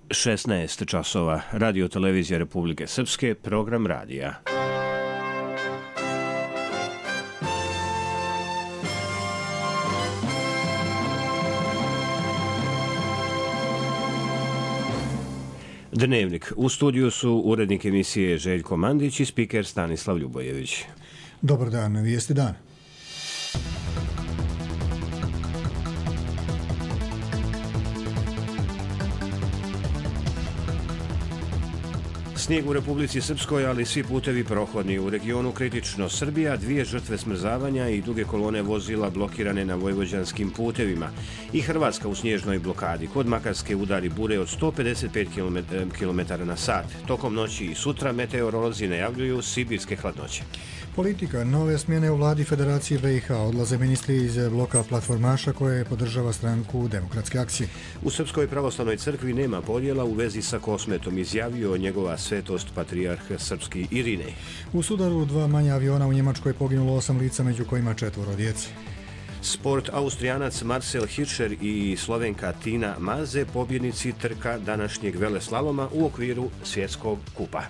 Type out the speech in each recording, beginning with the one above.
16 časova. Radio televizija Republike Srpske, program radija. Dnevnik. U studiju su urednik emisije Željko Mandić i spiker Stanislav Ljubojević. Dobar dan, vijesti dan. Snijeg u Republici Srpskoj, ali svi putevi prohodni. U regionu kritično. Srbija, 2 žrtve smrzavanja i duge kolone vozila blokirane na vojvođanskim putevima. I Hrvatska u snježnoj blokadi. Kod Makarske udari bure od 155 km/h. Tokom noći i sutra meteorolozi najavljuju sibirske hladnoće. Politika. Nove smjene u vladi Federacije BiH. Odlaze ministri iz bloka platformaša koje podržava stranku Demokratske akcije. U Srpskoj pravoslavnoj crkvi nema podjela u vezi sa Kosmetom, izjavio njegova svetost patrijarh srpski Irinej. U sudaru 2 manja aviona u Njemačkoj poginulo 8 lica, među kojima 4 djece. Sport. Austrijanac Marcel Hirscher i Slovenka Tina Maze, pobjednici trka današnjeg veleslaloma u okviru svjetskog kupa.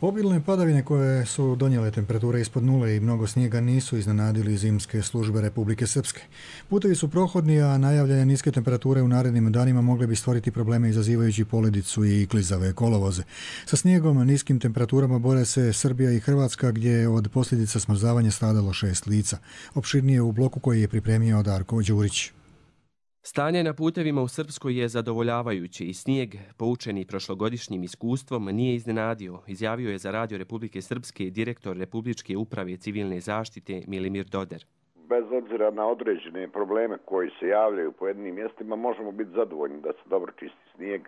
Obilne padavine koje su donijele temperature ispod nule i mnogo snijega nisu iznenadili zimske službe Republike Srpske. Putevi su prohodni, a najavljene niske temperature u narednim danima mogle bi stvoriti probleme izazivajući poledicu i klizave kolovoze. Sa snijegom, niskim temperaturama bore se Srbija i Hrvatska, gdje je od posljedica smrzavanja stradalo 6 lica. Opširnije u bloku koji je pripremio Darko Đurić. Stanje na putevima u Srpskoj je zadovoljavajuće i snijeg, poučeni prošlogodišnjim iskustvom, nije iznenadio, izjavio je za Radio Republike Srpske direktor Republičke uprave civilne zaštite Milimir Doder. Bez obzira na određene probleme koji se javljaju u pojedinim mjestima, možemo biti zadovoljni da se dobro čisti snijeg,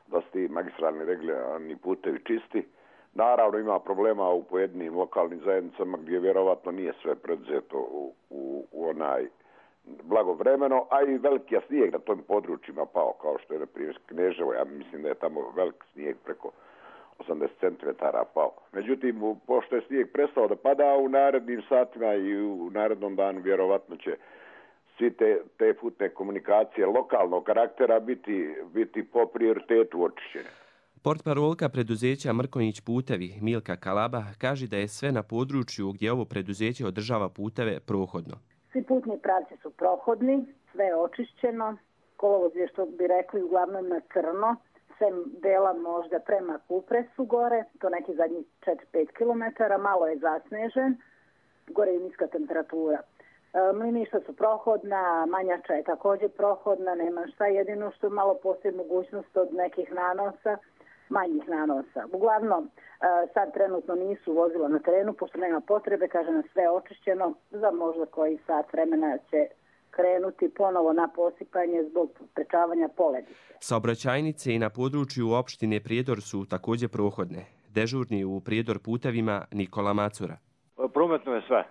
da su ti magistralni regularni putevi čisti. Naravno ima problema u pojedinim lokalnim zajednicama gdje vjerovatno nije sve predzeto u onaj blagovremeno, a i veliki snijeg na tom područjima pao, kao što je na primjer Kneževo. Ja mislim da je tamo velik snijeg preko 80 cm pao. Međutim, pošto je snijeg prestao da pada u narednim satima i u narednom danu, vjerovatno će svi te putne komunikacije lokalnog karaktera biti po prioritetu očišćene. Portparolka preduzeća Mrkonjić putevi Milka Kalaba kaže da je sve na području gdje ovo preduzeće održava puteve prohodno. Svi putni pravci su prohodni, sve je očišćeno, kolovoz je, što bi rekli, uglavnom na crno, sem dela možda prema Kupresu gore, to neki zadnjih 4-5 km, malo je zasnežen, gore je niska temperatura. Mliništa su prohodna, Manjača je također prohodna, nema šta, jedino što malo postoji mogućnost od nekih nanosa, manjih nanosa. Uglavnom, sad trenutno nisu vozila na terenu, pošto nema potrebe, kaže na sve očišćeno, za možda koji sat vremena će krenuti ponovo na posipanje zbog sprečavanja poledice. Saobraćajnice i na području opštine Prijedor su također prohodne. Dežurni u Prijedor putevima Nikola Macura. Prometno je sve.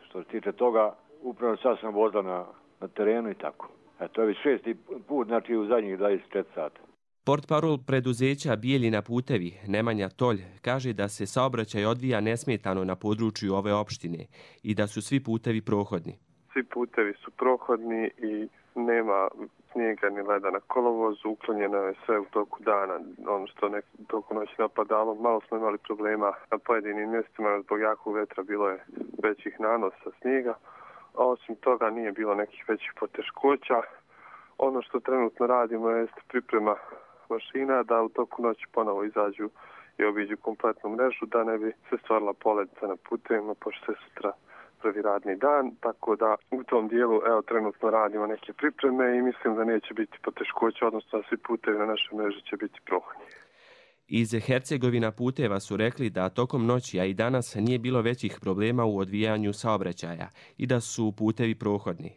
Što se tiče toga, upravo sad sam vozila na terenu i tako. To je već 6. put, znači u zadnjih 24 sata. Portparol preduzeća Bijeljina putevi Nemanja Tolj kaže da se saobraćaj odvija nesmetano na području ove opštine i da su svi putevi prohodni. Svi putevi su prohodni i nema snijega ni leda na kolovozu, uklonjeno je sve u toku dana. Ono što toku noći napadalo, malo smo imali problema na pojedinim mjestima, zbog jakog vetra bilo je većih nanosa snijega. A osim toga nije bilo nekih većih poteškoća. Ono što trenutno radimo je priprema mašina da u toku noći ponovo izađu i obiđu kompletnu mrežu da ne bi se stvarila poledica na putevima, pošto je sutra prvi radni dan, tako da u tom dijelu trenutno radimo neke pripreme i mislim da neće biti poteškoća, odnosno da svi putevi na našoj mreži će biti prohodni. Iz Hercegovina puteva su rekli da tokom noći, a i danas, nije bilo većih problema u odvijanju saobraćaja i da su putevi prohodni.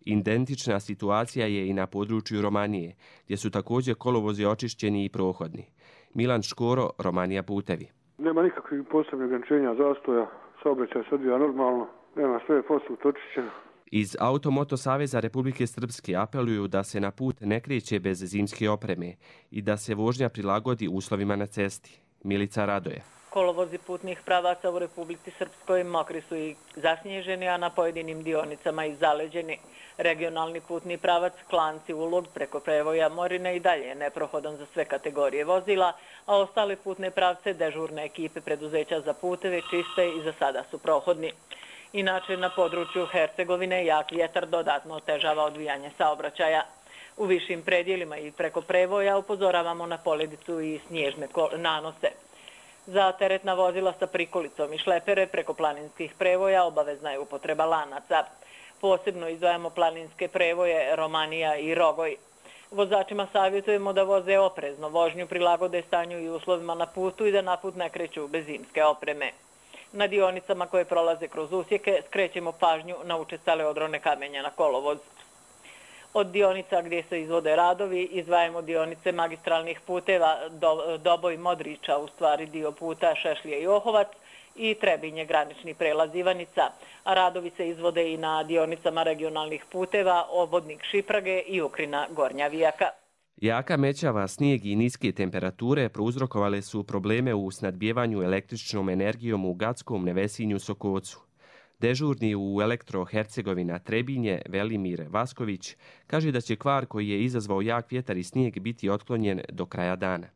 Identična situacija je i na području Romanije, gdje su također kolovozi očišćeni i prohodni. Milan Škoro, Romanija putevi. Nema nikakvih posebnih ograničenja zastoja, saobraćaj se odvija normalno, nema sve posut očišćeno. Iz Automoto Saveza Republike Srpske apeluju da se na put ne kreće bez zimske opreme i da se vožnja prilagodi uslovima na cesti. Milica Radoje. Kolovozi putnih pravaca u Republici Srpskoj mokri su i zasnježeni, a na pojedinim dionicama i zaleđeni. Regionalni putni pravac Klanci-Ulog preko prevoja Morine i dalje je neprohodan za sve kategorije vozila, a ostale putne pravce dežurne ekipe preduzeća za puteve čiste i za sada su prohodni. Inače, na području Hercegovine jak vjetar dodatno otežava odvijanje saobraćaja. U višim predjelima i preko prevoja upozoravamo na poledicu i snježne nanose. Za teretna vozila sa prikolicom i šlepere preko planinskih prevoja obavezna je upotreba lanaca. Posebno izdvajamo planinske prevoje Romanija i Rogoj. Vozačima savjetujemo da voze oprezno, vožnju prilagode stanju i uslovima na putu i da na put ne kreću bez zimske opreme. Na dionicama koje prolaze kroz usjeke skrećemo pažnju na učestale odrone kamenja na kolovoz. Od dionica gdje se izvode radovi izdvajamo dionice magistralnih puteva Doboj Modriča, u stvari dio puta Šešlje i Ohovac, i Trebinje granični prelaz Ivanica, a radovi se izvode i na dionicama regionalnih puteva Obodnik Šiprage i Ukrina Gornja Vijaka. Jaka mećava, snijeg i niske temperature prouzrokovale su probleme u snadbijevanju električnom energijom u Gatskom, Nevesinju, Sokocu. Dežurni u Elektro Hercegovina Trebinje, Velimir Vasković, kaže da će kvar koji je izazvao jak vjetar i snijeg biti otklonjen do kraja dana.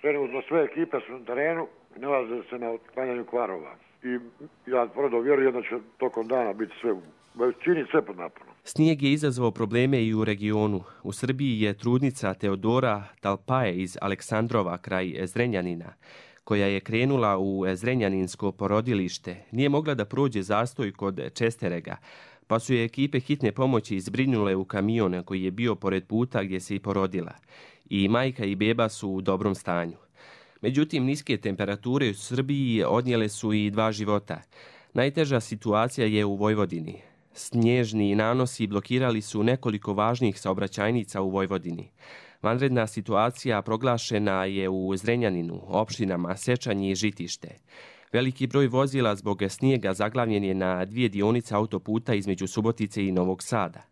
Trenutno sve ekipe su na terenu i nalaze se na otklanjanju kvarova. I ja tvrdo vjerujem da će tokom dana biti sve, čini sve pod naponom. Snijeg je izazvao probleme i u regionu. U Srbiji je trudnica Teodora Talpaje iz Aleksandrova kraj Zrenjanina, koja je krenula u Zrenjaninsko porodilište, nije mogla da prođe zastoj kod Česterega, pa su je ekipe hitne pomoći izbrinule u kamion koji je bio pored puta gdje se i porodila. I majka i beba su u dobrom stanju. Međutim, niske temperature u Srbiji odnijele su i 2 života. Najteža situacija je u Vojvodini. Snježni nanosi blokirali su nekoliko važnih saobraćajnica u Vojvodini. Vanredna situacija proglašena je u Zrenjaninu, opštinama Sečanj i Žitište. Veliki broj vozila zbog snijega zaglavljen je na 2 dionice autoputa između Subotice i Novog Sada.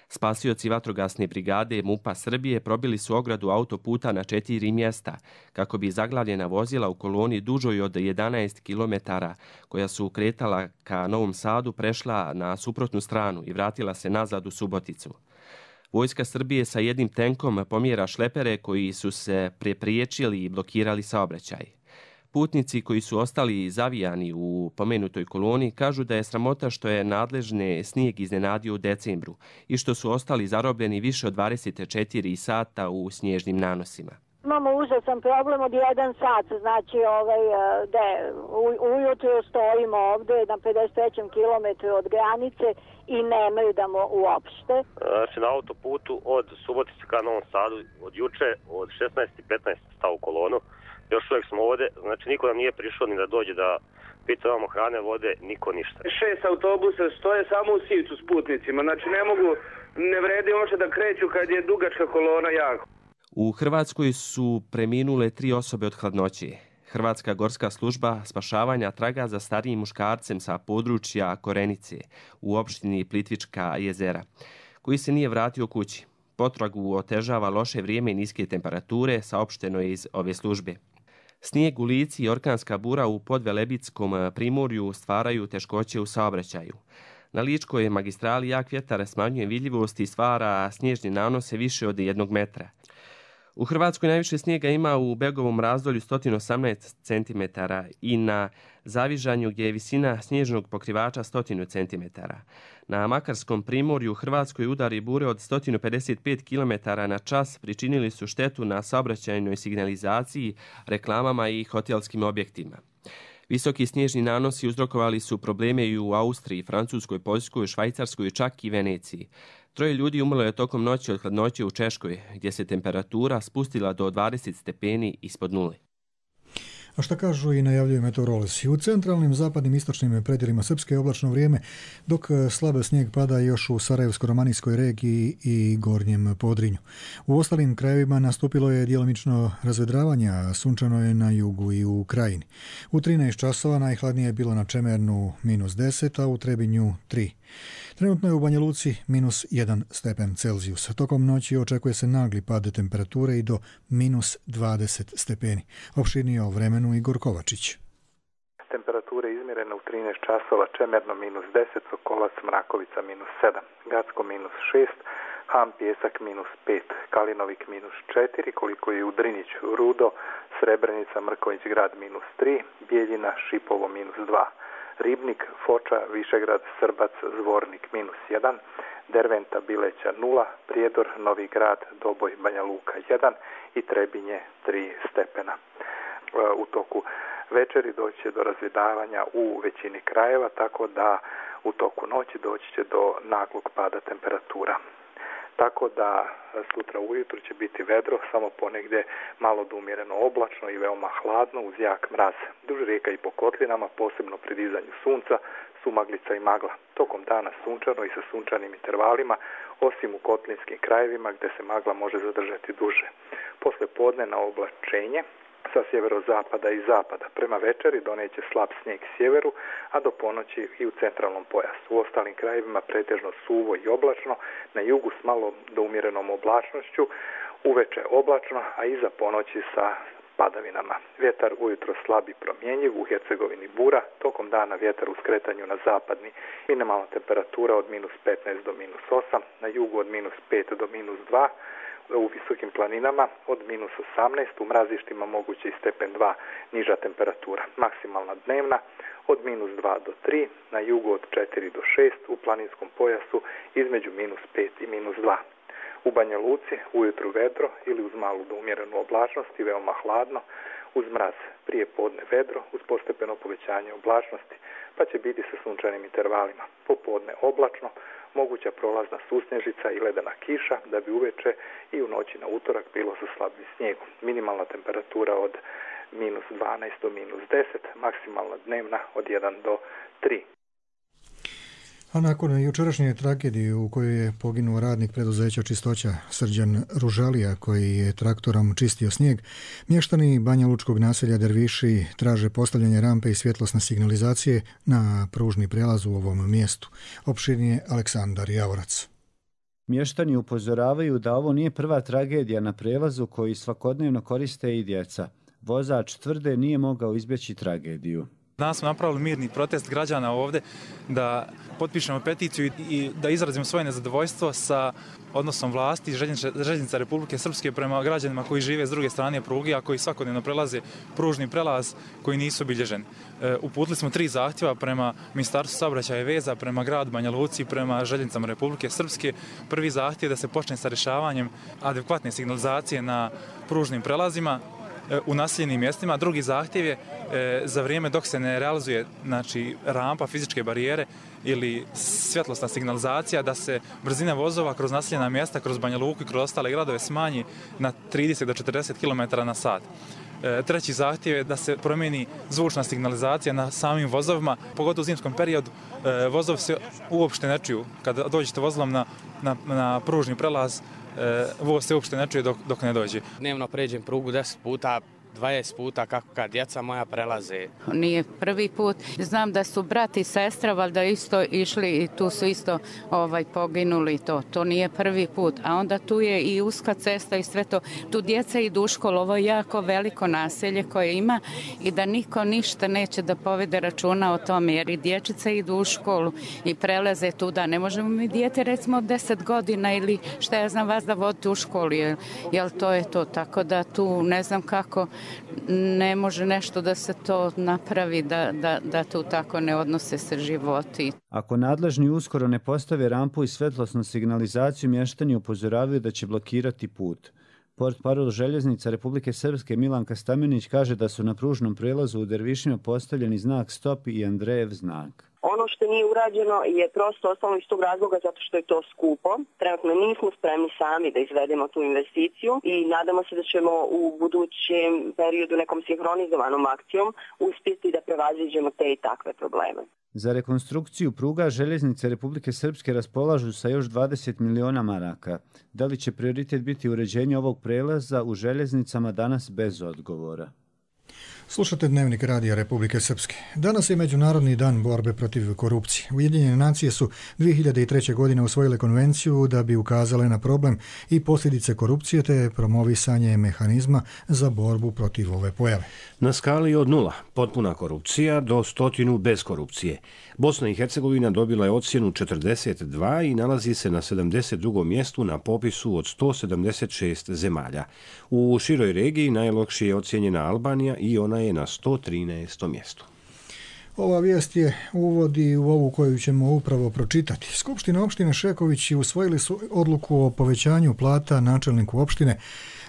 Spasioci vatrogasne brigade MUP-a Srbije probili su ogradu autoputa na 4 mjesta, kako bi zaglavljena vozila u koloni dužoj od 11 km, koja su kretala ka Novom Sadu, prešla na suprotnu stranu i vratila se nazad u Suboticu. Vojska Srbije sa jednim tenkom pomjera šlepere koji su se prepriječili i blokirali saobraćaj. Putnici koji su ostali zavijani u pomenutoj koloni kažu da je sramota što je nadležne snijeg iznenadio u decembru i što su ostali zarobljeni više od 24 sata u snježnim nanosima. Imamo užasan problem od 1 sat, znači ujutro stojimo ovdje na 53. kilometru od granice i nemaju da uopšte. Znači na autoputu od Subotice ka Novom Sadu od juče od 16:15 stao u kolonu. Još uvijek smo ovdje, znači niko nam nije prišao ni da dođe da pitavamo hrane, vode, niko ništa. 6 autobusa stoje samo u Sivcu s putnicima, znači ne vredi uopšte da kreću kad je dugačka kolona jako. U Hrvatskoj su preminule 3 osobe od hladnoće. Hrvatska gorska služba spašavanja traga za starijim muškarcem sa područja Korenice u opštini Plitvička jezera, koji se nije vratio kući. Potragu otežava loše vrijeme i niske temperature, saopšteno je iz ove službe. Snijeg u Lici i orkanska bura u Podvelebitskom primorju stvaraju teškoće u saobraćaju. Na Ličkoj magistrali jak vjetar smanjuje vidljivost i stvara snježne nanose više od 1 metra. U Hrvatskoj najviše snijega ima u Begovom razdolju 118 cm i na Zavižanju gdje je visina snježnog pokrivača 100 cm. Na Makarskom primorju u Hrvatskoj udari bure od 155 km/h pričinili su štetu na saobraćajnoj signalizaciji, reklamama i hotelskim objektima. Visoki snježni nanosi uzrokovali su probleme i u Austriji, Francuskoj, Poljskoj, Švajcarskoj, čak i Veneciji. 3 ljudi umrlo je tokom noći od hladnoće u Češkoj, gdje se temperatura spustila do 20 stepeni ispod nule. A šta kažu i najavljuju meteorolozi? U centralnim, zapadnim, istočnim predjelima Srpske je oblačno vrijeme, dok slabe snijeg pada još u Sarajevsko-romanijskoj regiji i Gornjem Podrinju. U ostalim krajevima nastupilo je djelomično razvedravanje, a sunčano je na jugu i u Krajini. U 13 časova najhladnije je bilo na Čemernu -10, a u Trebinju 3. Trenutno je u Banja Luci -1 stepen Celzijusa. Tokom noći očekuje se nagli pad temperature i do -20 stepeni. Opširnije o vremenu Igor Kovačić. temperature izmjerene u 13 časova, Čemerno -10, Sokolac, Mrakovica -7, Gacko -6, Ham, Pjesak -5, Kalinovik -4, koliko je u Driniću, Rudo, Srebrenica, Mrković grad -3, Bijeljina, Šipovo -2, Ribnik, Foča, Višegrad, Srbac, Zvornik -1, Derventa, Bileća 0, Prijedor, Novi Grad, Doboj, Banja Luka 1 i Trebinje 3 stepena. U toku večeri doći će do razvjedavanja u većini krajeva, tako da u toku noći doći će do naglog pada temperatura. Tako da sutra ujutro će biti vedro, samo ponegdje malo do umjereno oblačno i veoma hladno uz jak mraz. Duž rijeka i po kotlinama, posebno pri dizanju sunca, su maglica i magla. Tokom dana sunčano i sa sunčanim intervalima, osim u kotlinskim krajevima gdje se magla može zadržati duže. Posle podne na oblačenje sa sjeverozapada i zapada. Prema večeri doneće slab snijeg sjeveru, a do ponoći i u centralnom pojasu. U ostalim krajevima pretežno suvo i oblačno, na jugu s malo do umjerenom oblačnošću, uveče oblačno, a iza ponoći sa padavinama. Vjetar ujutro slab i promjenjiv, u Hercegovini bura, tokom dana vjetar u skretanju na zapadni, minimalna temperatura od -15 do -8, na jugu od -5 do -2, u visokim planinama od -18, u mrazištima moguće i stepen 2 niža temperatura. Maksimalna dnevna od -2 do 3, na jugu od 4 do 6, u planinskom pojasu između -5 i -2. U Banja Luci ujutru vedro ili uz malu do umjerenu oblačnost i veoma hladno, uz mraz prije podne vedro, uz postepeno povećanje oblačnosti, pa će biti sa sunčanim intervalima. Popodne oblačno, moguća prolazna susnježica i ledena kiša, da bi uveče i u noći na utorak bilo sa slabim snijegom. Minimalna temperatura od -12 do -10, maksimalna dnevna od 1 do 3. A nakon jučerašnje tragedije u kojoj je poginuo radnik preduzeća Čistoća Srđan Ružalija koji je traktorom čistio snijeg, mještani banjalučkog naselja Derviši traže postavljanje rampe i svjetlosne signalizacije na pružni prijelaz u ovom mjestu. Opširnije Aleksandar Javorac. Mještani upozoravaju da ovo nije prva tragedija na prijelazu koji svakodnevno koriste i djeca. Vozač tvrde nije mogao izbjeći tragediju. Danas smo napravili mirni protest građana ovdje da potpišemo peticiju i da izrazimo svoje nezadovoljstvo sa odnosom vlasti Željeznica Republike Srpske prema građanima koji žive s druge strane pruge, a koji svakodnevno prelaze pružni prelaz koji nisu obilježeni. Uputili smo 3 zahtjeva prema Ministarstvu saobraćaja i veza, prema gradu Banja Luci i prema Željeznicama Republike Srpske. Prvi zahtjev je da se počne sa rješavanjem adekvatne signalizacije na pružnim prelazima u naseljenim mjestima. Drugi zahtjev je za vrijeme dok se ne realizuje rampa, fizičke barijere ili svjetlosna signalizacija, da se brzina vozova kroz naseljena mjesta, kroz Banja Luku i kroz ostale gradove smanji na 30 do 40 km na sat. Treći zahtjev je da se promijeni zvučna signalizacija na samim vozovima, pogotovo u zimskom periodu. Vozovi se uopšte ne čuju. Kada dođete vozilom na pružni prelaz, voz se uopšte ne čuje dok ne dođe. Dnevno pređem prugu 10 puta, 20 puta kako kad djeca moja prelaze. Nije prvi put. Znam da su brat i sestra valjda isto išli i tu su isto poginuli. To nije prvi put. A onda tu je i uska cesta i sve to. Tu djeca idu u školu. Ovo je jako veliko naselje koje ima i da niko ništa neće da povede računa o tome jer i dječice idu u školu i prelaze tu da ne možemo mi dijete recimo od 10 godina ili šta ja znam vas da vodite u školu. Jel to je to. Tako da tu ne znam kako ne može nešto da se to napravi, da tu tako ne odnose se životi. Ako nadležni uskoro ne postave rampu i svetlosnu signalizaciju, mještani upozoravaju da će blokirati put. Portparol Željeznica Republike Srpske Milanka Stamenić kaže da su na pružnom prijelazu u Dervišima postavljeni znak stop i Andrejev znak. Ono što nije urađeno je prosto ostalo iz tog razloga zato što je to skupo. Trenutno nismo spremni sami da izvedemo tu investiciju i nadamo se da ćemo u budućem periodu nekom sinhronizovanom akcijom uspjeti da prevaziđemo te i takve probleme. Za rekonstrukciju pruga Željeznice Republike Srpske raspolažu sa još 20 miliona maraka. Da li će prioritet biti uređenje ovog prelaza u željeznicama danas bez odgovora? Slušate Dnevnik Radija Republike Srpske. Danas je Međunarodni dan borbe protiv korupcije. Ujedinjene nacije su 2003. godine usvojile konvenciju da bi ukazale na problem i posljedice korupcije te promovisanje mehanizma za borbu protiv ove pojave. Na skali od 0, potpuna korupcija, do 100 bez korupcije. Bosna i Hercegovina dobila je ocjenu 42 i nalazi se na 72. mjestu na popisu od 176 zemalja. U široj regiji najlošije je ocjenjena Albanija i ona je na 113. mjestu. Ova vijest je uvodi u ovu koju ćemo upravo pročitati. Skupština opštine Šekovići usvojili su odluku o povećanju plata načelniku opštine,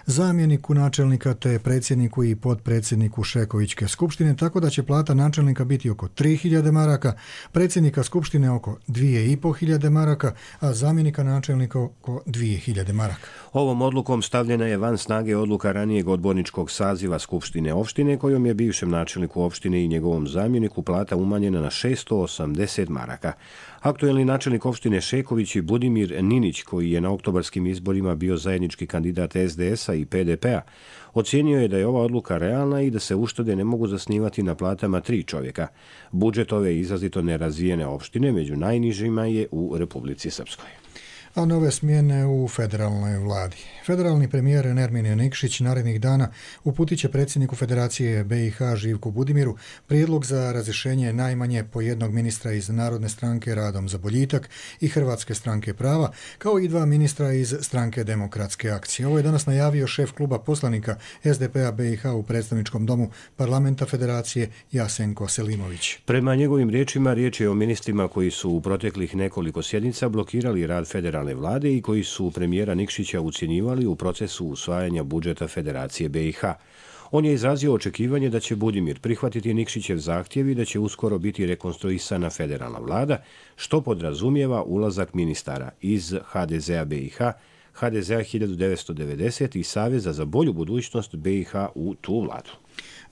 zamjeniku načelnika te predsjedniku i potpredsjedniku Šekovićke skupštine, tako da će plata načelnika biti oko 3.000 maraka, predsjednika skupštine oko 2.500 maraka, a zamjenika načelnika oko 2.000 maraka. Ovom odlukom stavljena je van snage odluka ranijeg odborničkog saziva Skupštine opštine, kojom je bivšem načelniku opštine i njegovom zamjeniku plata umanjena na 680 maraka. Aktuelni načelnik opštine Šeković i Budimir Ninić, koji je na oktobarskim izborima bio zajednički kandidat SDS-a i PDP-a, ocijenio je da je ova odluka realna i da se uštede ne mogu zasnivati na platama 3 čovjeka. Budžet ove izrazito nerazvijene opštine među najnižima je u Republici Srpskoj. A nove smjene u federalnoj vladi. Federalni premijer Nermin Nikšić narednih dana uputit će predsjedniku Federacije BiH Živku Budimiru prijedlog za razrješenje najmanje po jednog ministra iz Narodne stranke Radom za boljitak i Hrvatske stranke prava, kao i 2 ministra iz Stranke demokratske akcije. Ovo je danas najavio šef kluba poslanika SDP-a BiH u predstavničkom domu parlamenta Federacije Jasenko Selimović. Prema njegovim riječima, riječ je o ministrima koji su u proteklih nekoliko sjednica blokirali rad federalne vlade i koji su premijera Nikšića ucjenjivali u procesu usvajanja budžeta Federacije BiH. On je izrazio očekivanje da će Budimir prihvatiti Nikšićev zahtjev i da će uskoro biti rekonstruisana federalna vlada, što podrazumijeva ulazak ministara iz HDZ-a BiH, HDZ-a 1990 i Saveza za bolju budućnost BiH u tu vladu.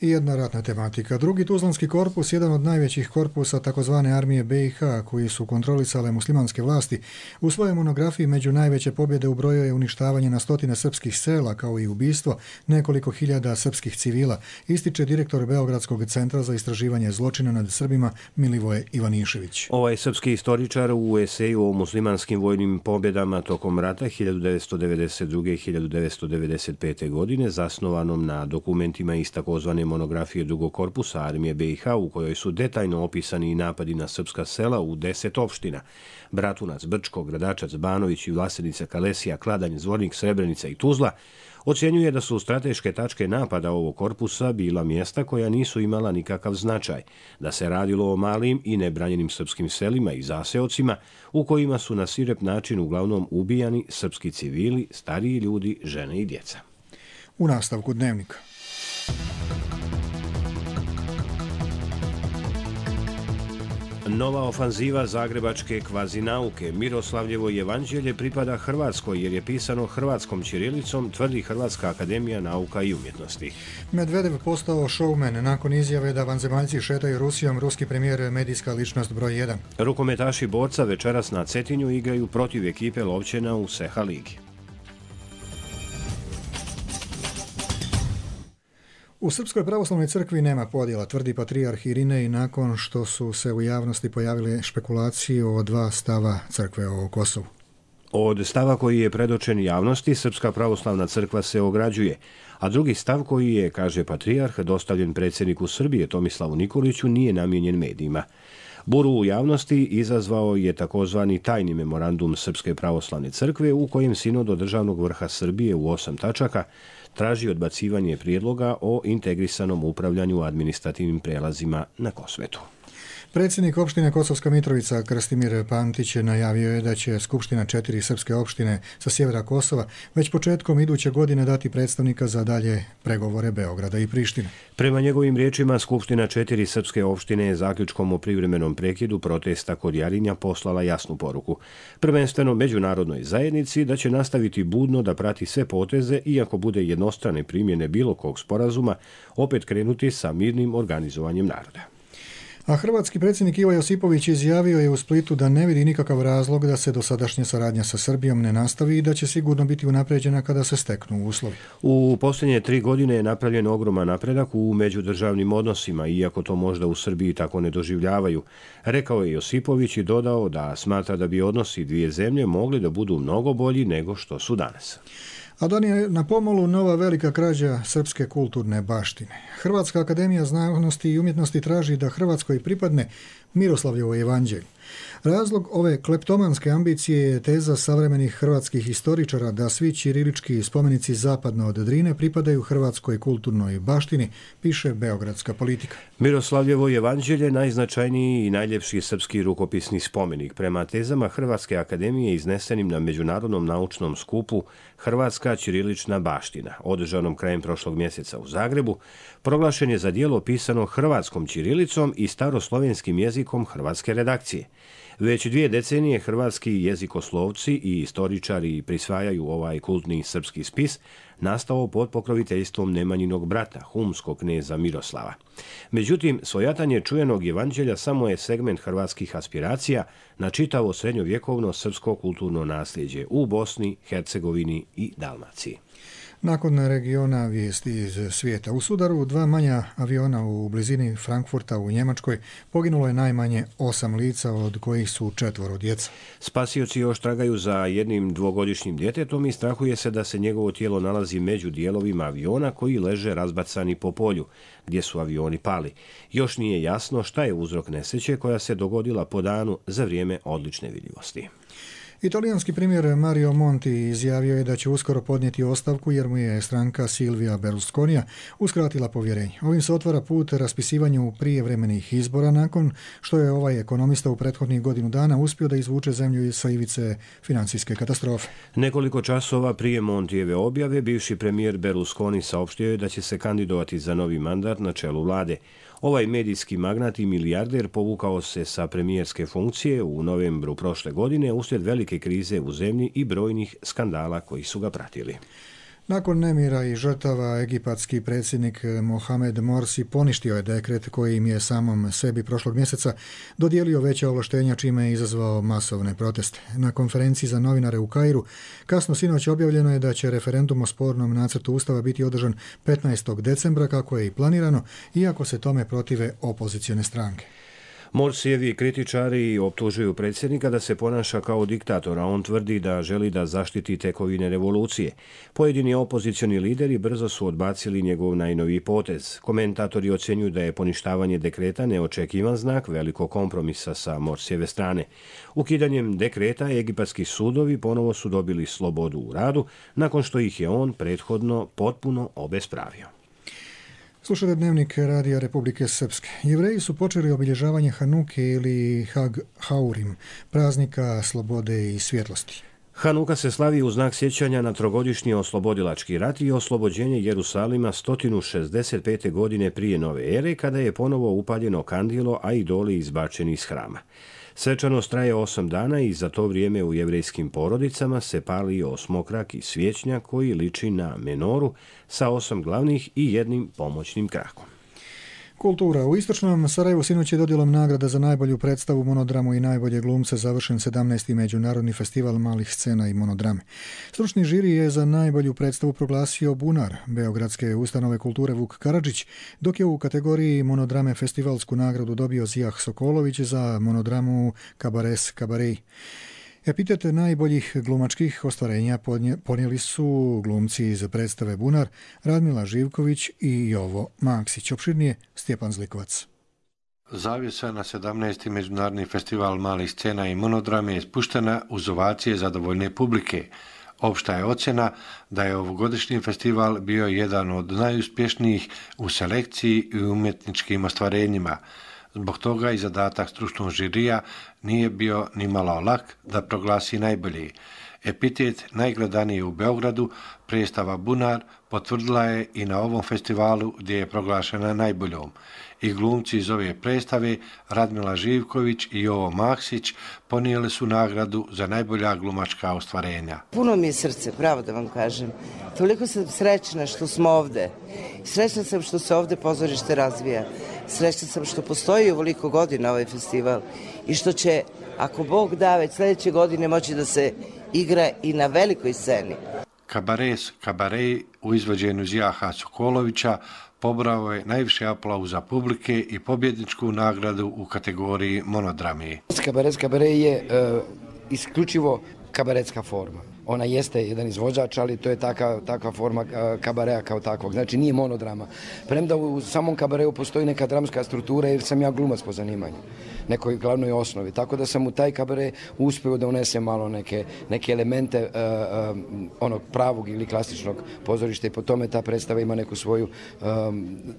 I jedna ratna tematika. Drugi Tuzlanski korpus, jedan od najvećih korpusa takozvane armije BiH koji su kontrolisale muslimanske vlasti, u svojoj monografiji među najveće pobjede ubrojio je uništavanje na stotine srpskih sela kao i ubistvo nekoliko hiljada srpskih civila, ističe direktor Beogradskog centra za istraživanje zločina nad Srbima Milivoje Ivanišević. Ovaj srpski istoričar u eseju o muslimanskim vojnim pobjedama tokom rata 1992. i 1995. godine, zasnovanom na dokumentima iz takozvane monografije drugog korpusa armije BiH, u kojoj su detaljno opisani i napadi na srpska sela u 10 opština: Bratunac, Brčko, Gradačac, Banović i Vlasenica, Kalesija, Kladanj, Zvornik, Srebrenica i Tuzla, ocjenjuje da su strateške tačke napada ovog korpusa bila mjesta koja nisu imala nikakav značaj, da se radilo o malim i nebranjenim srpskim selima i zaseocima u kojima su na sirep način uglavnom ubijani srpski civili, stariji ljudi, žene i djeca. U nastavku Dnevnika. Nova ofanziva zagrebačke kvazinauke Miroslavljevo evanđelje pripada Hrvatskoj jer je pisano hrvatskom ćirilicom, tvrdi Hrvatska akademija nauka i umjetnosti. Medvedev postao showman nakon izjave da vanzemaljci šetaju Rusijom, ruski premijer medijska ličnost broj 1. Rukometaši borca večeras na Cetinju igraju protiv ekipe Lovćena u Seha ligi. U Srpskoj pravoslavnoj crkvi nema podjela, tvrdi patrijarh Irinej nakon što su se u javnosti pojavile špekulacije o 2 stava crkve o Kosovu. Od stava koji je predočen javnosti, Srpska pravoslavna crkva se ograđuje, a drugi stav koji je, kaže patrijarh, dostavljen predsjedniku Srbije Tomislavu Nikoliću, nije namijenjen medijima. Buru u javnosti izazvao je takozvani tajni memorandum Srpske pravoslavne crkve u kojem sinod od državnog vrha Srbije u 8 tačaka traži odbacivanje prijedloga o integrisanom upravljanju administrativnim prelazima na Kosmetu. Predsjednik opštine Kosovska Mitrovica Krstimir Pantić najavio je da će Skupština 4 srpske opštine sa sjevera Kosova već početkom iduće godine dati predstavnika za dalje pregovore Beograda i Prištine. Prema njegovim riječima, Skupština 4 srpske opštine je zaključkom o privremenom prekidu protesta kod Jarinja poslala jasnu poruku, prvenstveno međunarodnoj zajednici, da će nastaviti budno da prati sve poteze i ako bude jednostrane primjene bilo kog sporazuma, opet krenuti sa mirnim organizovanjem naroda. A hrvatski predsjednik Ivo Josipović izjavio je u Splitu da ne vidi nikakav razlog da se dosadašnja saradnja sa Srbijom ne nastavi i da će sigurno biti unapređena kada se steknu uslovi. U posljednje 3 godine je napravljen ogroman napredak u međudržavnim odnosima, iako to možda u Srbiji tako ne doživljavaju, rekao je Josipović i dodao da smatra da bi odnosi dvije zemlje mogli da budu mnogo bolji nego što su danas. A dan je na pomolu nova velika krađa srpske kulturne baštine. Hrvatska akademija znanosti i umjetnosti traži da Hrvatskoj pripadne Miroslavljevo evanđelje. Razlog ove kleptomanske ambicije je teza savremenih hrvatskih historičara da svi ćirilički spomenici zapadno od Drine pripadaju hrvatskoj kulturnoj baštini, piše Beogradska politika. Miroslavljevo evanđelje najznačajniji i najljepši srpski rukopisni spomenik. Prema tezama Hrvatske akademije iznesenim na Međunarodnom naučnom skupu Hrvatska ćirilična baština, održanom krajem prošlog mjeseca u Zagrebu, proglašen je za djelo pisano hrvatskom ćirilicom i staroslovenskim jezikom hrvatske redakcije. Već 2 decenije hrvatski jezikoslovci i istoričari prisvajaju ovaj kultni srpski spis, nastao pod pokroviteljstvom Nemanjinog brata, humskog kneza Miroslava. Međutim, svojatanje čujenog evanđelja samo je segment hrvatskih aspiracija na čitavo srednjovjekovno srpsko kulturno nasljeđe u Bosni, Hercegovini i Dalmaciji. Nakon regiona vijesti iz svijeta. U sudaru 2 manja aviona u blizini Frankfurta u Njemačkoj poginulo je najmanje 8 lica, od kojih su 4 djeca. Spasioci još tragaju za jednim 2-godišnjim djetetom i strahuje se da se njegovo tijelo nalazi među dijelovima aviona koji leže razbacani po polju, gdje su avioni pali. Još nije jasno šta je uzrok nesreće koja se dogodila po danu za vrijeme odlične vidljivosti. Italijanski premijer Mario Monti izjavio je da će uskoro podnijeti ostavku jer mu je stranka Silvija Berlusconija uskratila povjerenje. Ovim se otvara put raspisivanju prijevremenih izbora nakon što je ovaj ekonomista u prethodnih godinu dana uspio da izvuče zemlju sa ivice financijske katastrofe. Nekoliko časova prije Montijeve objave bivši premijer Berlusconi saopštio je da će se kandidovati za novi mandat na čelu vlade. Ovaj medijski magnat i milijarder povukao se sa premijerske funkcije u novembru prošle godine uslijed velike krize u zemlji i brojnih skandala koji su ga pratili. Nakon nemira i žrtava, egipatski predsjednik Mohamed Morsi poništio je dekret kojim je samom sebi prošlog mjeseca dodijelio veća ovlaštenja, čime je izazvao masovne proteste. Na konferenciji za novinare u Kairu kasno sinoć objavljeno je da će referendum o spornom nacrtu ustava biti održan 15. decembra kako je i planirano, iako se tome protive opozicione stranke. Morsijevi kritičari optužuju predsjednika da se ponaša kao diktator, a on tvrdi da želi da zaštiti tekovine revolucije. Pojedini opozicioni lideri brzo su odbacili njegov najnoviji potez. Komentatori ocjenjuju da je poništavanje dekreta neočekivan znak velikog kompromisa sa Morsijeve strane. Ukidanjem dekreta egipatski sudovi ponovo su dobili slobodu u radu, nakon što ih je on prethodno potpuno obespravio. Slušajte dnevnik Radija Republike Srpske. Jevreji su počeli obilježavanje Hanuke ili Hag Haurim, praznika slobode i svjetlosti. Hanuka se slavi u znak sjećanja na trogodišnji oslobodilački rat i oslobođenje Jerusalima 165. godine prije nove ere, kada je ponovo upaljeno kandilo, a idoli izbačeni iz hrama. Svečanost traje 8 dana i za to vrijeme u jevrejskim porodicama se pali osmokrak i svječnjak koji liči na menoru sa 8 glavnih i jednim pomoćnim krakom. Kultura. U istočnom Sarajevu sinoć je dodjelom nagrada za najbolju predstavu, monodramu i najbolje glumce završen 17. Međunarodni festival malih scena i monodrame. Stručni žiri je za najbolju predstavu proglasio Bunar, Beogradske ustanove kulture Vuk Karadžić, dok je u kategoriji monodrame festivalsku nagradu dobio Zijah Sokolović za monodramu Kabares Kabarej. Epitet najboljih glumačkih ostvarenja ponijeli su glumci iz predstave Bunar, Radmila Živković i Jovo Maksić. Opširnije Stjepan Zlikovac. Zavjesa na 17. Međunarodni festival malih scena i monodrame je spuštena uz ovacije zadovoljne publike. Opšta je ocjena da je ovogodišnji festival bio jedan od najuspješnijih u selekciji i umjetničkim ostvarenjima. Zbog toga i zadatak stručnog žirija nije bio ni malo lak da proglasi najbolji. Epitet najgledaniji u Beogradu, predstava Bunar, potvrdila je i na ovom festivalu gdje je proglašena najboljom. I glumci iz ove predstave, Radmila Živković i Jovo Maksić, ponijeli su nagradu za najbolja glumačka ostvarenja. Puno mi je srce, pravo da vam kažem. Toliko sam srećna što smo ovde. Srećna sam što se ovde pozorište razvija. srećna sam što postoji ovoliko godina ovaj festival i što će, ako Bog da, već sljedeće godine moći da se igra i na velikoj sceni. Kabarej u izvođenju Zijaha Sokolovića pobrao je najviše aplauza publike i pobjedničku nagradu u kategoriji monodrame. Kabaret je isključivo kabaretska forma. Ona jeste jedan izvođač, ali to je takva forma kabarea kao takvog. Znači nije monodrama. Premda u samom kabareu postoji neka dramska struktura jer sam ja glumac po zanimanju, nekoj glavnoj osnovi. Tako da sam u taj kabare uspio da unesem malo neke elemente onog pravog ili klasičnog pozorišta i po tome ta predstava ima neku svoju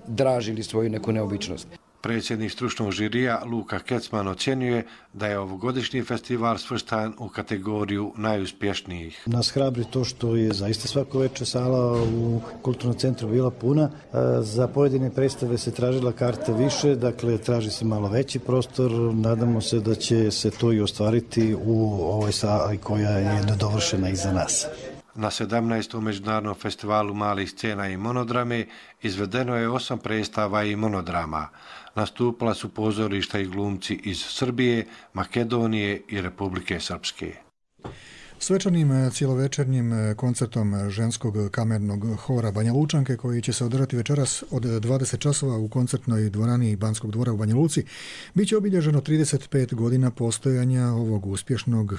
draž ili svoju neku neobičnost. Predsjednik stručnog žirija Luka Kecman ocjenjuje da je ovogodišnji festival svrstan u kategoriju najuspješnijih. Nas hrabri to što je zaista svako večer sala u Kulturnom centru bila puna. Za pojedine predstave se tražila karta više, dakle traži se malo veći prostor. Nadamo se da će se to i ostvariti u ovoj sali koja je nedovršena iza nas. Na 17. međunarodnom festivalu malih scena i monodrame izvedeno je 8 predstava i monodrama. Nastupila su pozorišta i glumci iz Srbije, Makedonije i Republike Srpske. Svečanim cijelovečernjim koncertom ženskog kamernog hora Banja Lučanke, koji će se održati večeras od 20 časova u koncertnoj dvorani Banskog dvora u Banja Luci, bit će obilježeno 35 godina postojanja ovog uspješnog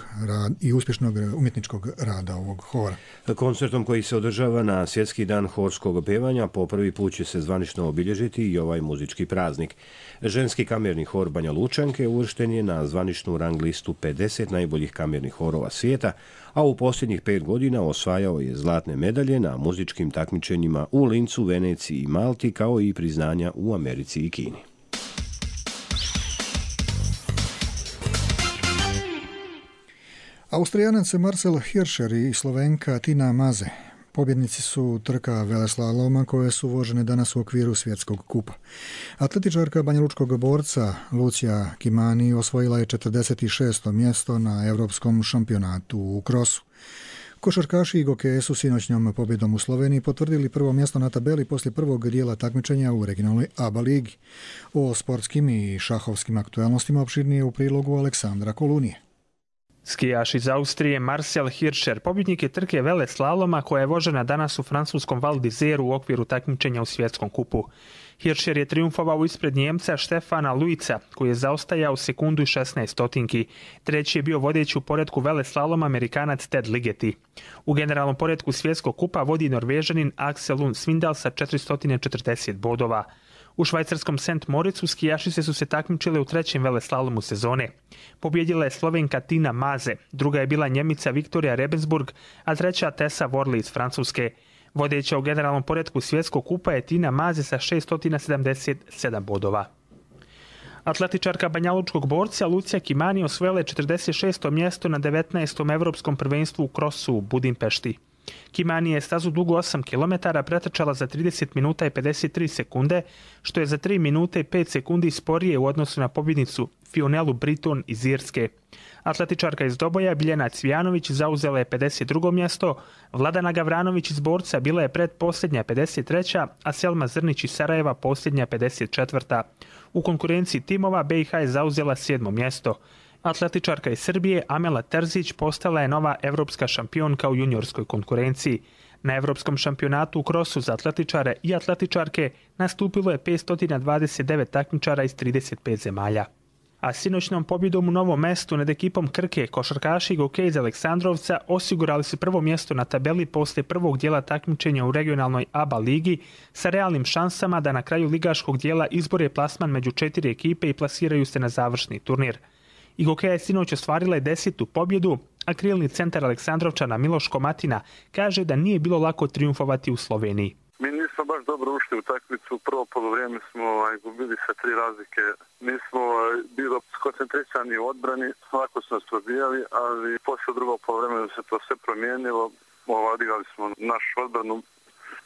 umjetničkog rada ovog hora. Koncertom koji se održava na Svjetski dan horskog pevanja po prvi put će se zvanično obilježiti i ovaj muzički praznik. Ženski kamerni hor Banja Lučanke uvršten je na zvaničnu rang listu 50 najboljih kamernih horova svijeta, a u posljednjih 5 godina osvajao je zlatne medalje na muzičkim takmičenjima u Lincu, Veneciji i Malti, kao i priznanja u Americi i Kini. Austrijanac Marcel Hirscher i Slovenka Tina Maze pobjednici su trka veleslaloma koje su vožene danas u okviru svjetskog kupa. Atletičarka banjalučkog borca Lucija Kimani osvojila je 46. mjesto na Europskom šampionatu u krosu. Košarkaši Gokeje su sinoćnjom pobjedom u Sloveniji potvrdili prvo mjesto na tabeli poslije prvog dijela takmičenja u regionalnoj ABA ligi. O sportskim i šahovskim aktualnostima opširnije u prilogu Aleksandra Kolunije. Skijaš iz Austrije Marcel Hirscher pobjednik je trke veleslaloma koja je vožena danas u francuskom Val d'Isère u okviru takmičenja u svjetskom kupu. Hirscher je triumfovao ispred Njemca Štefana Luica, koji je zaostajao sekundu i 16 stotinki. Treći je bio vodeći u poretku veleslaloma Amerikanac Ted Ligeti. U generalnom poretku svjetskog kupa vodi Norvežanin Axel Lund Svindal sa 440 bodova. U švajcarskom St. Moricu skijašice su se takmičile u trećem veleslalomu sezone. Pobjedila je Slovenka Tina Maze, druga je bila Njemica Viktorija Rebensburg, a treća Tessa Worley iz Francuske. Vodeća u generalnom poretku svjetskog kupa je Tina Maze sa 677 bodova. Atletičarka banjalučkog borca Lucija Kimani osvojila je 46. mjesto na 19. Evropskom prvenstvu u krosu u Budimpešti. Kimani je stazu dugu 8 km pretrčala za 30 minuta i 53 sekunde, što je za 3 minute i 5 sekundi sporije u odnosu na pobjednicu Fionelu Britton iz Irske. Atletičarka iz Doboja Biljana Cvijanović zauzela je 52. mjesto, Vladana Gavranović iz Borca bila je predposljednja 53. a Selma Zrnić iz Sarajeva posljednja 54. U konkurenciji timova BiH je zauzela 7. mjesto. Atletičarka iz Srbije Amela Terzić postala je nova evropska šampionka u juniorskoj konkurenciji. Na Evropskom šampionatu u krosu za atletičare i atletičarke nastupilo je 529 takmičara iz 35 zemalja. A sinoćnom pobjedom u Novom Mestu nad ekipom Krke košarkaši Gokej iz Aleksandrovca osigurali su prvo mjesto na tabeli poslije prvog dijela takmičenja u regionalnoj ABA ligi sa realnim šansama da na kraju ligaškog dijela izbore plasman među 4 ekipe i plasiraju se na završni turnir. I Gokeja je sinoć ostvarila je 10. pobjedu, a krilni centar Aleksandrovčana Miloš Komatina kaže da nije bilo lako triumfovati u Sloveniji. Mi nismo baš dobro ušli u takmicu. Prvo polovrijeme smo gubili sa 3 razlike. Nismo bili skoncentrisani u odbrani, lako su nas probijali, ali poslije drugog polovremena se to sve promijenilo. Odigrali smo našu odbranu.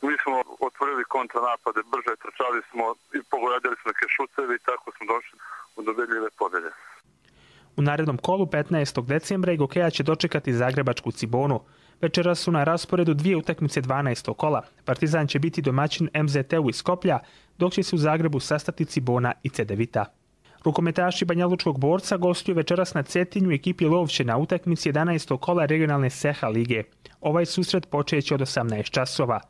Mi smo otvorili kontranapade, brže trčali smo i pogodili smo neke šutevi i tako smo došli u dobedljive pobjede. U narednom kolu 15. decembra Gokeja će dočekati zagrebačku Cibonu. Večeras su na rasporedu 2 utakmice 12. kola. Partizan će biti domaćin MZT-u iz Skoplja, dok će se u Zagrebu sastati Cibona i Cedevita. Rukometaši Banjalučkog Borca gostuju večeras na Cetinju ekipi Lovće na utakmici 11. kola regionalne Seha lige. Ovaj susret počeće od 18 časova.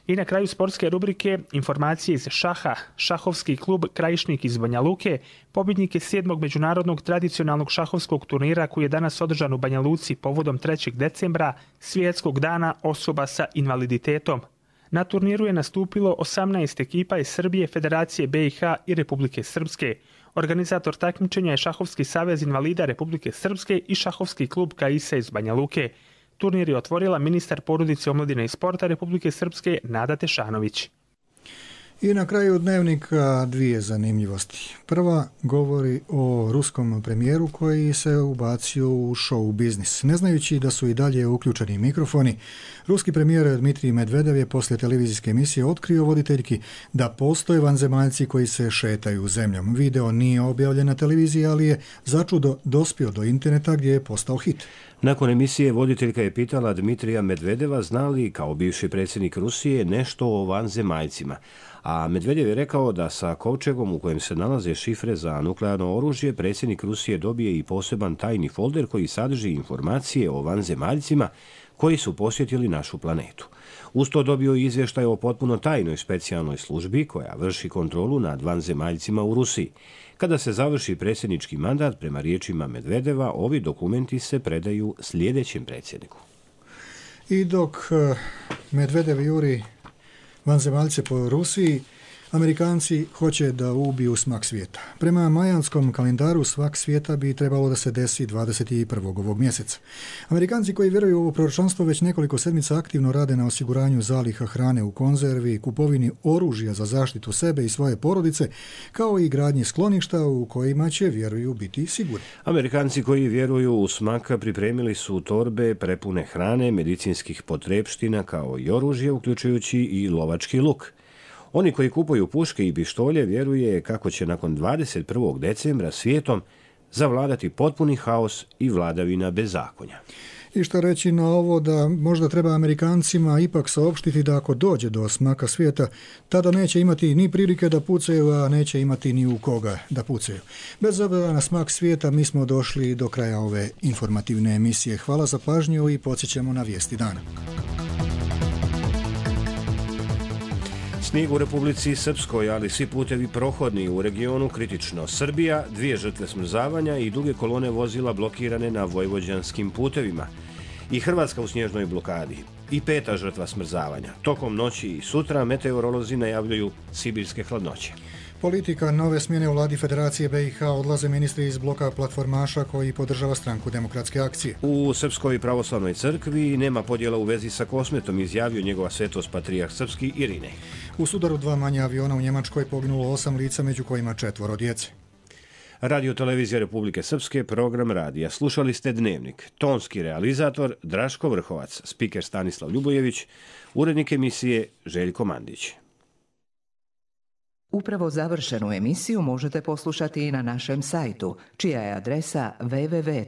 I na kraju sportske rubrike informacije iz šaha. Šahovski klub Krajišnik iz Banja Luke pobjednik je 7. međunarodnog tradicionalnog šahovskog turnira koji je danas održan u Banja Luci povodom 3. decembra, svjetskog dana osoba sa invaliditetom. Na turniru je nastupilo 18 ekipa iz Srbije, Federacije BiH i Republike Srpske. Organizator takmičenja je Šahovski savez invalida Republike Srpske i Šahovski klub Kaisa iz Banja Luke. Turnir je otvorila ministar porodice, omladine i sporta Republike Srpske Nada Tešanović. I na kraju dnevnika dvije zanimljivosti. Prva govori o ruskom premijeru koji se ubacio u show biznis. Ne znajući da su i dalje uključeni mikrofoni, ruski premijer Dmitrij Medvedev je poslije televizijske emisije otkrio voditeljki da postoje vanzemaljci koji se šetaju zemljom. Video nije objavljen na televiziji, ali je začudo dospio do interneta gdje je postao hit. Nakon emisije voditeljka je pitala Dmitrija Medvedeva zna li kao bivši predsjednik Rusije nešto o vanzemaljcima. A Medvedev je rekao da sa kovčegom u kojem se nalaze šifre za nuklearno oružje predsjednik Rusije dobije i poseban tajni folder koji sadrži informacije o vanzemaljcima koji su posjetili našu planetu. Uz to dobio i izvještaj o potpuno tajnoj specijalnoj službi koja vrši kontrolu nad vanzemaljcima u Rusiji. Kada se završi predsjednički mandat, prema riječima Medvedeva, ovi dokumenti se predaju sljedećem predsjedniku. I dok Medvedev juri vanzemaljce po Rusiji, Amerikanci hoće da ubiju smak svijeta. Prema majanskom kalendaru svak svijeta bi trebalo da se desi 21. ovog mjeseca. Amerikanci koji vjeruju u ovo proročanstvo već nekoliko sedmica aktivno rade na osiguranju zaliha hrane u konzervi, kupovini oružja za zaštitu sebe i svoje porodice, kao i gradnji skloništa u kojima će, vjeruju, biti sigurni. Amerikanci koji vjeruju u smak pripremili su torbe prepune hrane, medicinskih potrepština kao i oružje, uključujući i lovački luk. Oni koji kupuju puške i pištolje vjeruje kako će nakon 21. decembra svijetom zavladati potpuni haos i vladavina bezakonja. I što reći na ovo da možda treba Amerikancima ipak saopštiti da ako dođe do smaka svijeta, tada neće imati ni prilike da pucaju, a neće imati ni u koga da pucaju. Bez obzira na smak svijeta, mi smo došli do kraja ove informativne emisije. Hvala za pažnju i podsjećamo na vijesti dana. Snijeg u Republici Srpskoj, ali svi putevi prohodni u regionu kritično. Srbija, 2 žrtve smrzavanja i duge kolone vozila blokirane na vojvođanskim putevima. I Hrvatska u snježnoj blokadi. I 5. žrtva smrzavanja. Tokom noći i sutra meteorolozi najavljuju sibirske hladnoće. Politika nove smjene u vladi Federacije BiH, odlaze ministri iz bloka platformaša koji podržava stranku Demokratske akcije. U Srpskoj pravoslavnoj crkvi nema podjela u vezi sa Kosmetom, izjavio njegova svetost patrijarh srpski Irinej. U sudaru 2 manja aviona u Njemačkoj poginulo 8 lica, među kojima 4 djece. Radio televizija Republike Srpske, program radija. Slušali ste Dnevnik. Tonski realizator Draško Vrhovac, spiker Stanislav Ljubojević, urednik emisije Željko Mandić. Upravo završenu emisiju možete poslušati i na našem sajtu, čija je adresa www.rtrs.tv.